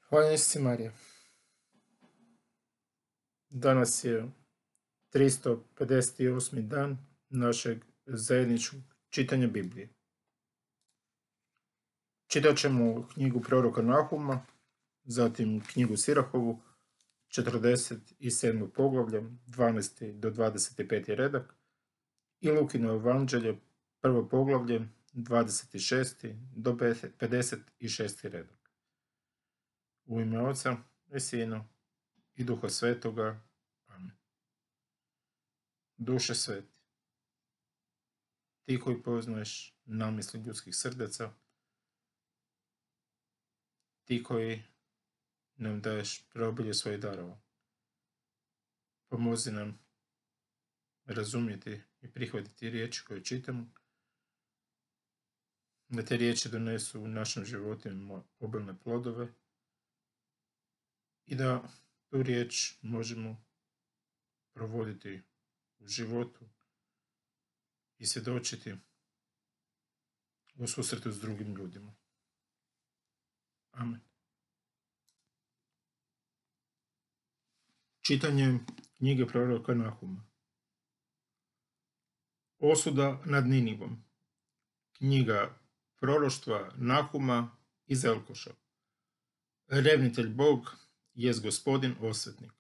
Hvala si Marija. Danas je 358. dan našeg zajedničkog čitanja Biblije. Čitat ćemo knjigu proroka Nahuma, zatim knjigu Sirahovu, 47. poglavlje, 12. do 25. redak, i Lukino evanđelje, prvo poglavlje, 26. do 56. redak. U ime Oca i Sina i Duha Svetoga. Amen. Duše sveti, ti koji poznaješ namisli ljudskih srdaca, ti koji nam daješ preobilje svojih darova, pomozi nam razumjeti i prihvatiti riječi koje čitamo, da te riječi donesu u našem životima obilne plodove i da tu riječ možemo provoditi u životu i svjedočiti u susretu s drugim ljudima. Amen. Čitanje knjige proroka Nahuma. Osuda nad Ninivom. Knjiga proroštva Nahuma iz Elkoša. Revnitelj Bog jest Gospodin osvetnik.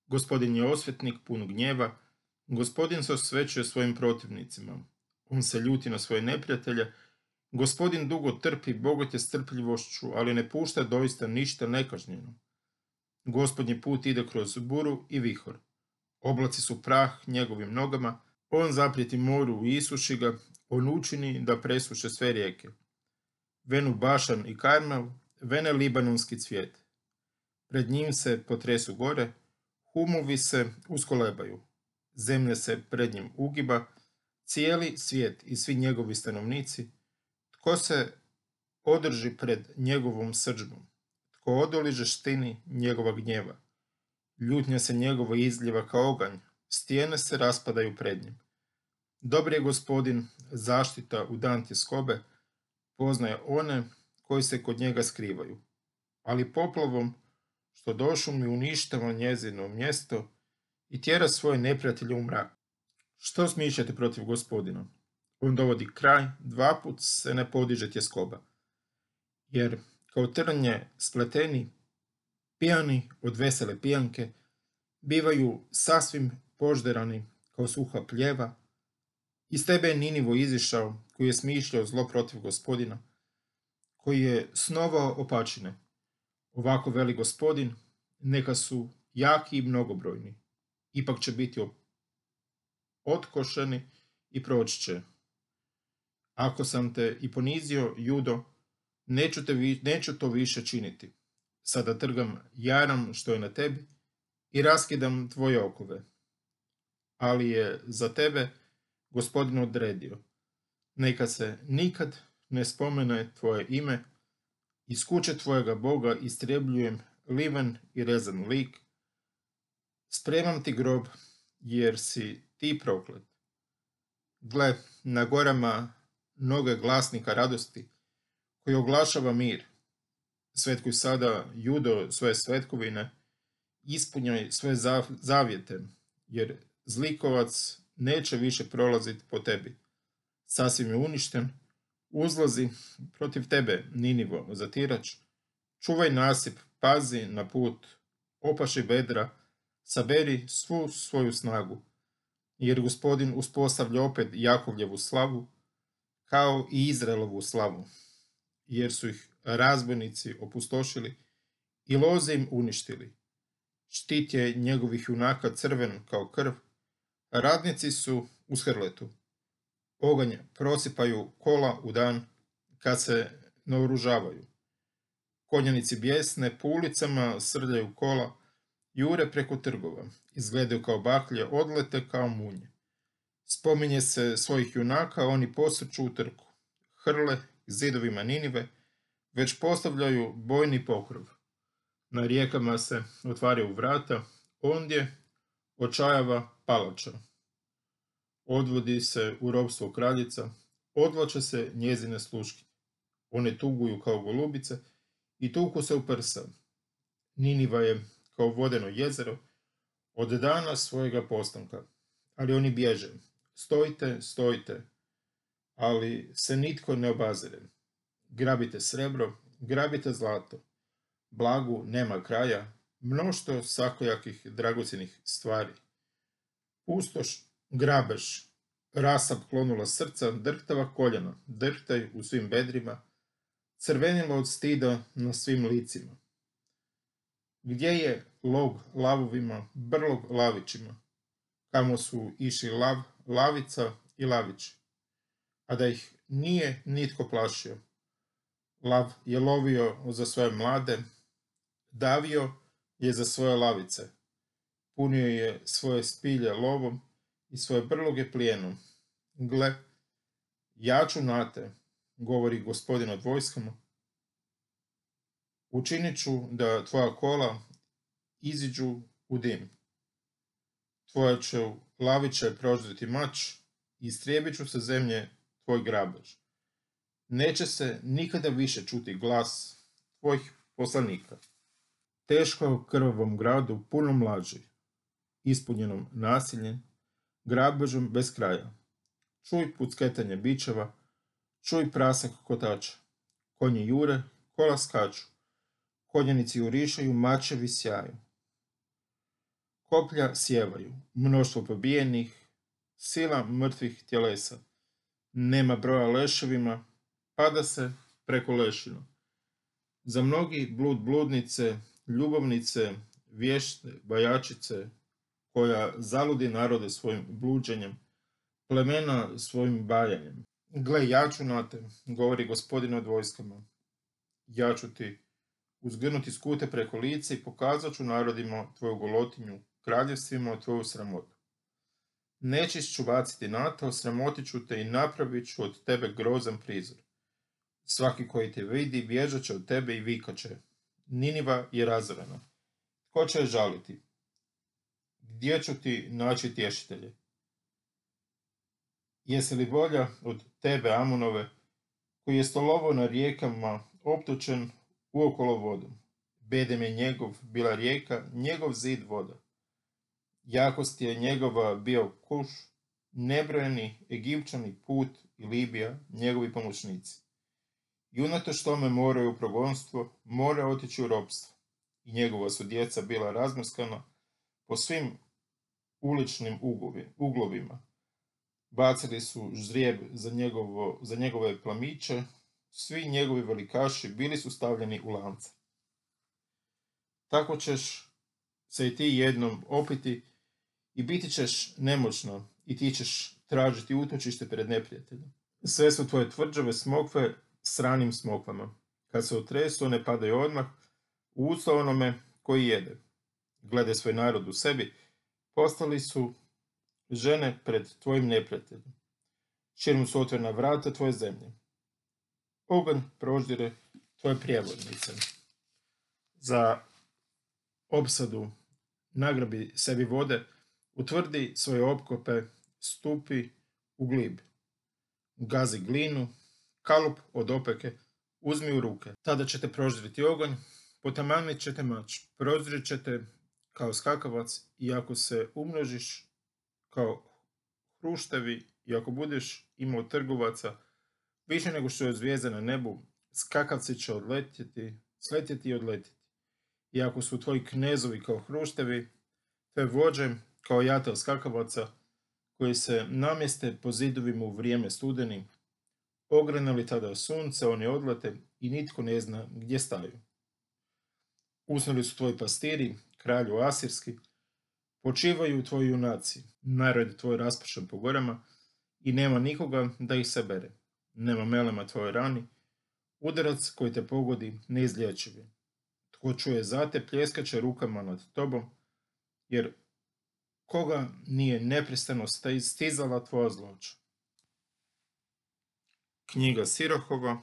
Gospodin je osvetnik pun gnjeva. Gospodin se osvećuje svojim protivnicima. On se ljuti na svoje neprijatelje. Gospodin dugo trpi, bogat je strpljivošću, ali ne pušta doista ništa nekažnjeno. Gospodnji put ide kroz buru i vihor. Oblaci su prah njegovim nogama. On zaprijeti moru i isuši ga. On učini da presuše sve rijeke. Venu Bašan i Karmel, vene libanonski cvijet. Pred njim se potresu gore, humovi se uskolebaju. Zemlja se pred njim ugiba, cijeli svijet i svi njegovi stanovnici. Tko se održi pred njegovom srdžbom? Tko odoli žestini njegova gnjeva? Ljutnja se njegova izljeva kao oganj, stijene se raspadaju pred njim. Dobar je Gospodin, zaštita u dan tjeskobe, poznaje one koji se kod njega skrivaju. Ali poplavom, što došumi uništava njezino mjesto i tjera svoje neprijatelje u mrak. Što smišljate protiv Gospodina? On dovodi kraj, dva put se ne podiže tjeskoba. Jer kao trnje spleteni, pijani od vesele pijanke, bivaju sasvim požderani kao suha pljeva. Iz tebe je Ninivo izišao, koji je smišljao zlo protiv Gospodina, koji je snovao opačine. Ovako veli Gospodin, neka su jaki i mnogobrojni, ipak će biti otkošeni i proći će. Ako sam te i ponizio, Judo, neću to više činiti. Sada trgam jaram što je na tebi i raskidam tvoje okove. Ali je za tebe Gospodin odredio. Neka se nikad ne spomene tvoje ime, iz kuće tvojega Boga istrebljujem liven i rezan lik. Spremam ti grob, jer si ti proklet. Gle, na gorama noge glasnika radosti, koji oglašava mir. Svetkuj sada, Judo, svoje svetkovine, ispunjaj svoje zavjete, jer zlikovac neće više prolaziti po tebi. Sasvim je uništen. Uzlazi protiv tebe, Ninivo, zatirač. Čuvaj nasip, pazi na put, opaši bedra, saberi svu svoju snagu. Jer Gospodin uspostavlja opet Jakovljevu slavu, kao i Izraelovu slavu. Jer su ih razbojnici opustošili i loze im uništili. Štit je njegovih junaka crven kao krv, a radnici su uz hrletu. Oganj prosipaju kola u dan kad se naoružavaju. Konjanici bijesne po ulicama srljaju kola, jure preko trgova, izgledaju kao baklje, odlete kao munje. Spominje se svojih junaka, oni posrću u trku. Hrle zidovima Ninive već postavljaju bojni pokrov. Na rijekama se otvaraju vrata, ondje očajava palača. Odvodi se u ropstvo kraljica, odvlače se njezine sluškinje. One tuguju kao golubice i tuku se u prsa. Niniva je kao vodeno jezero od dana svojega postanka, ali oni bježe. Stojite, stojite, ali se nitko ne obazire. Grabite srebro, grabite zlato. Blagu nema kraja, mnoštvo svakojakih dragocjenih stvari. Pustoš, grabež, rasap klonula srca, drhtava koljena, drhtaj u svim bedrima, crvenilo od stida na svim licima. Gdje je log lavovima, brlog lavićima, kamo su išli lav, lavica i lavić, a da ih nije nitko plašio. Lav je lovio za svoje mlade, davio je za svoje lavice, punio je svoje spilje lovom i svoje brloge plijenom. Gle, ja ću na te, govori Gospodin od vojskama, učinit ću da tvoja kola iziđu u dim. Tvoja će laviće prožditi mač i istrijebit ću sa zemlje tvoj grabež. Neće se nikada više čuti glas tvojih poslanika. Teško krvavom gradu, punom laži, ispunjenom nasiljem, grabežom bez kraja. Čuj pucketanje bičeva, čuj prasak kotača. Konji jure, kola skaču, konjanici jurišaju, mačevi sjaju. Koplja sjevaju, mnoštvo pobijenih, sila mrtvih tjelesa. Nema broja leševima, pada se preko lešina. Za mnogi bludnice, ljubavnice, vješte, bajačice, koja zaludi narode svojim bluđenjem, plemena svojim bajanjem. Gle, ja ću na te, govori Gospodin od vojskama. Ja ću ti uzgrnuti skute preko lice i pokazat ću narodima tvoju golotinju, kraljevstvima tvoju sramotu. Nećeš ću baciti na to, sramotit ću te i napravit ću od tebe grozan prizor. Svaki koji te vidi bježat će od tebe i vikat će. Niniva je razorena. Tko će je žaliti? Gdje ću ti naći tješitelje? Jesi li bolja od tebe, Amonove, koji je stolovo na rijekama optočen uokolo vodom? Bedem je njegov bila rijeka, njegov zid voda. Jakost je njegova bio Kuš, nebrojeni Egipćani, Put i Libija, njegovi pomoćnici. I unatoč tome moraju u progonstvo, mora otići u ropstvo. I njegova su djeca bila razmrskana po svim uličnim uglovima. Bacili su ždrijeb za njegove plamiće, svi njegovi velikaši bili su stavljeni u lance. Tako ćeš se i ti jednom opiti i biti ćeš nemoćno i ti ćeš tražiti utočište pred neprijateljem. Sve su tvoje tvrđave smokve s ranim smokvama. Kad se otresu, one padaju odmah u usta onome koji jede. Gledaj svoj narod u sebi, postali su žene pred tvojim neprijateljem. Širom su otvorena vrata tvoje zemlje. Oganj proždire tvoje prijevodnice. Za opsadu nagrabi sebi vode, utvrdi svoje opkope, stupi u glib. Gazi glinu, kalup od opeke, uzmi u ruke. Tada ćete proždiriti oganj, potamanit ćete mač, proždirit ćete kao skakavac i ako se umnožiš kao hruštevi i ako budeš imao trgovaca više nego što je zvijezda na nebu, skakavci će sletjeti i odletjeti. I ako su tvoji knezovi kao hruštevi, te vođe kao jatel skakavaca koji se namjeste po zidovima u vrijeme studeni, ograne li tada sunce, oni odlete i nitko ne zna gdje staju. Usnuli su tvoji pastiri, kralju asirski, počivaju tvoji junaci, narod tvoj raspršen po gorama i nema nikoga da ih sabere. Nema melema tvojoj rani, udarac koji te pogodi neizlječiv je. Tko čuje za te, pljeskaće rukama nad tobom, jer koga nije neprestano stizala tvoja zloća. Knjiga Sirohova,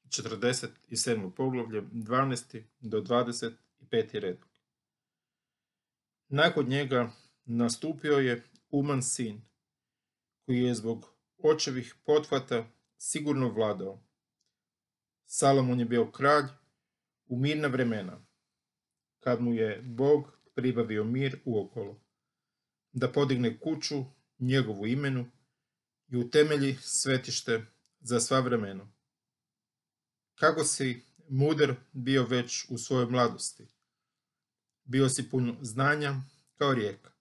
47. poglavlje, 12. do 25. redak. Nakon njega nastupio je Uman sin, koji je zbog očevih pothvata sigurno vladao. Salomon je bio kralj u mirna vremena. kad mu je Bog pribavio mir uokolo, da podigne kuću njegovu imenu i utemelji svetište za sva vremena. Kako si mudar bio već u svojoj mladosti, bio si pun znanja kao rijeka.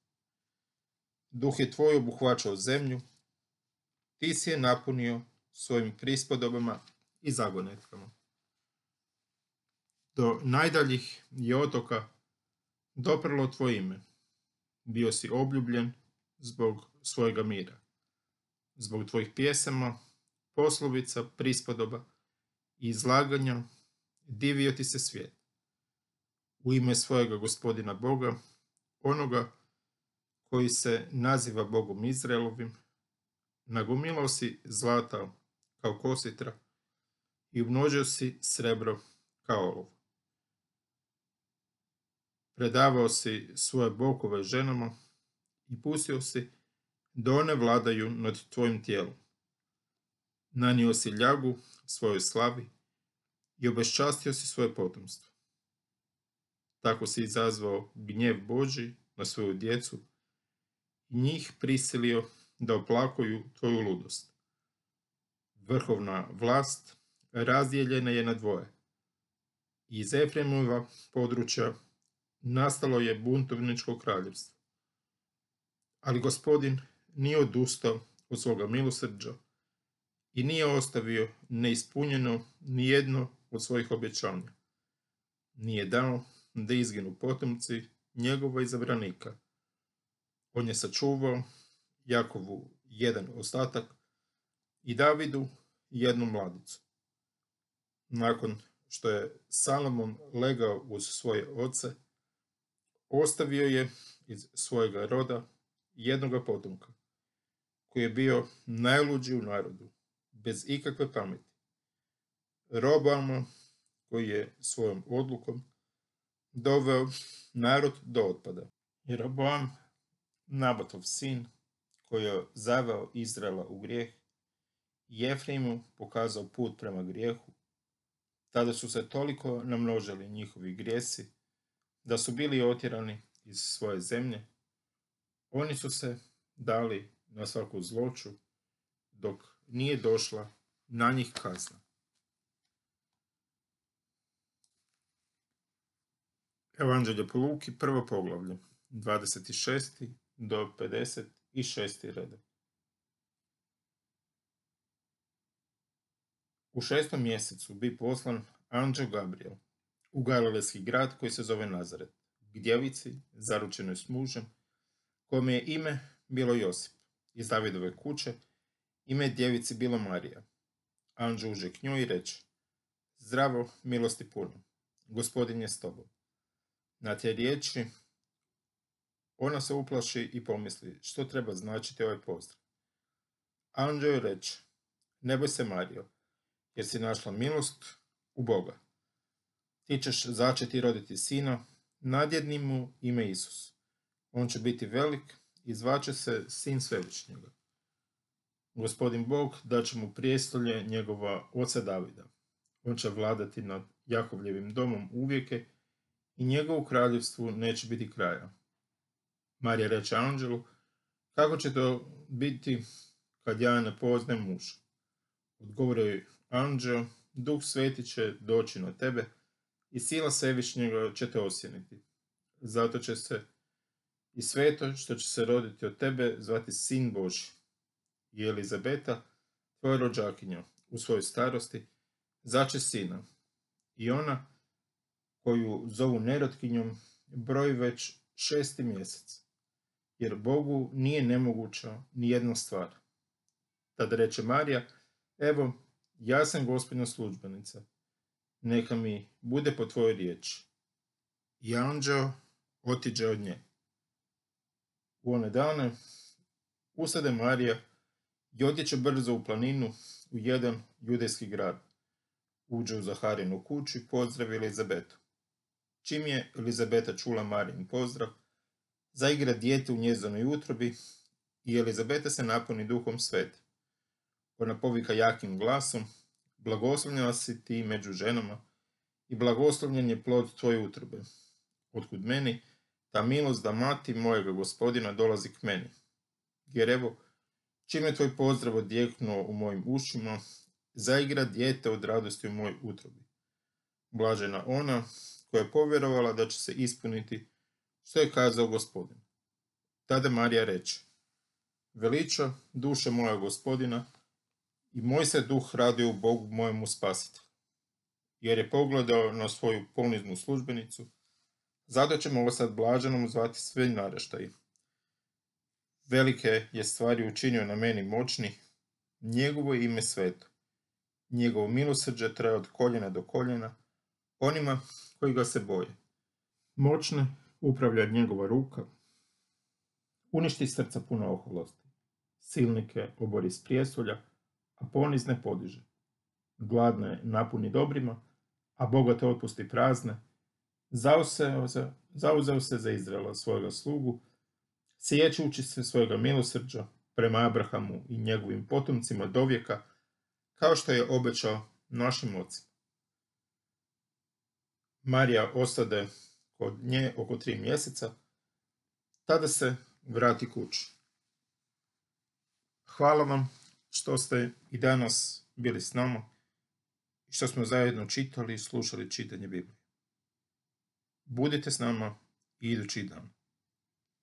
Duh je tvoj obuhvaćao zemlju, ti si je napunio svojim prispodobama i zagonetkama. Do najdaljih je otoka doprlo tvoje ime. Bio si obljubljen zbog svojega mira, zbog tvojih pjesama, poslovica, prispodoba i izlaganja divio ti se svijet. U ime svojega Gospodina Boga, onoga koji se naziva Bogom Izraelovim, nagomilao si zlata kao kositra i umnožio si srebro kao olov. Predavao si svoje bokove ženama i pustio si da one vladaju nad tvojim tijelom. Nanio si ljagu svojoj slavi i obeščastio si svoje potomstvo. Tako si izazvao gnjev Božji na svoju djecu i njih prisilio da oplakuju tvoju ludost. Vrhovna vlast razdijeljena je na dvoje. Iz Efremova područja nastalo je buntovničko kraljevstvo. Ali Gospodin nije odustao od svoga milosrđa i nije ostavio neispunjeno ni jedno od svojih obećanja. Nije dao da izginu potomci njegova izabranika. On je sačuvao Jakovu jedan ostatak i Davidu jednu mladicu. Nakon što je Salomon legao uz svoje oce, ostavio je iz svojega roda jednoga potomka, koji je bio najluđi u narodu, bez ikakve pameti. Roboama, koji je svojom odlukom doveo narod do otpada. Jeroboam, Nabatov sin, koji je zaveo Izraela u grijeh, i Efraimu pokazao put prema grijehu. Tada su se toliko namnožili njihovi grijesi, da su bili otjerani iz svoje zemlje. Oni su se dali na svaku zloću, dok nije došla na njih kazna. Evanđelje po Luki, prvo poglavlje, 26. do 56. redak. U 6. mjesecu bi poslan anđeo Gabriel u galilejski grad koji se zove Nazaret, k djevici zaručenoj s mužem, kome je ime bilo Josip, iz Davidove kuće, ime djevici bilo Marija. Anđeo uđe k njoj i reče: Zdravo, milosti puno, Gospodin je s tobom. Na te riječi ona se uplaši i pomisli što treba značiti ovaj pozdrav. Anđeo joj reče: Ne boj se, Marijo, jer si našla milost u Boga. Ti ćeš začeti i roditi sina, nadjedni mu ime Isus. On će biti velik i zvaće se Sin Svevišnjega. Gospodin Bog daće mu prijestolje njegova oca Davida. On će vladati nad Jakovljevim domom uvijeke i njegovu kraljevstvu neće biti kraja. Marija reče anđelu: Kako će to biti kad ja ne poznajem muža? Odgovorio joj anđeo: Duh Sveti će doći na tebe i sila Svevišnjega će te osjeniti. Zato će se i sveto što će se roditi od tebe zvati Sin Božji. I Elizabeta, tvoja rođakinja, u svojoj starosti zače sina. I ona, koju zovu nerotkinjom, broji već 6. mjesec, jer Bogu nije nemoguća ni jedna stvar. Tada reče Marija: Evo, ja sam Gospodina službenica, neka mi bude po tvojoj riječi. I anđeo otiđe od nje. U one dane ustade Marija i odjeće brzo u planinu u jedan judejski grad. Uđe u Zaharinu kuću i pozdravi Elizabetu. Čim je Elizabeta čula Marijin pozdrav, zaigra dijete u njezinoj utrobi i Elizabeta se napuni Duhom Svetim. Ona povika jakim glasom: Blagoslovljena si ti među ženama i blagoslovljen je plod tvoje utrobe. otkud meni ta milost da mati mojega Gospodina dolazi k meni. Jer evo, čim je tvoj pozdrav odjeknuo u mojim ušima, zaigra dijete od radosti u mojoj utrobi. Blažena ona koja je povjerovala da će se ispuniti što je kazao Gospodin. Tada Marija reče: Veliča duša moja Gospodina i moj se duh raduje u Bogu mojemu spasitelju, jer je pogledao na svoju poniznu službenicu. Zato ćemo ovo sad blaženom zvati sve naraštaji. Velike je stvari učinio na meni moćni, njegovo je ime sveto. Njegovo milosrđe traje od koljena do koljena onima koji ga se boje. Moćne upravlja njegova ruka, uništi srca puno oholosti. Silnike obori s prijestolja, a ponizne podiže. Gladne napuni dobrima, a bogate otpusti prazne. Zauzeo se za Izraela svojega slugu, sjećući se svojega milosrđa prema Abrahamu i njegovim potomcima do vijeka, kao što je obećao našim ocima. Marija ostade kod nje oko 3 mjeseca, tada se vrati kući. Hvala vam što ste i danas bili s nama i što smo zajedno čitali i slušali čitanje Biblije. Budite s nama i idući dan.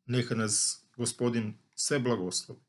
Neka nas Gospodin sve blagoslovi.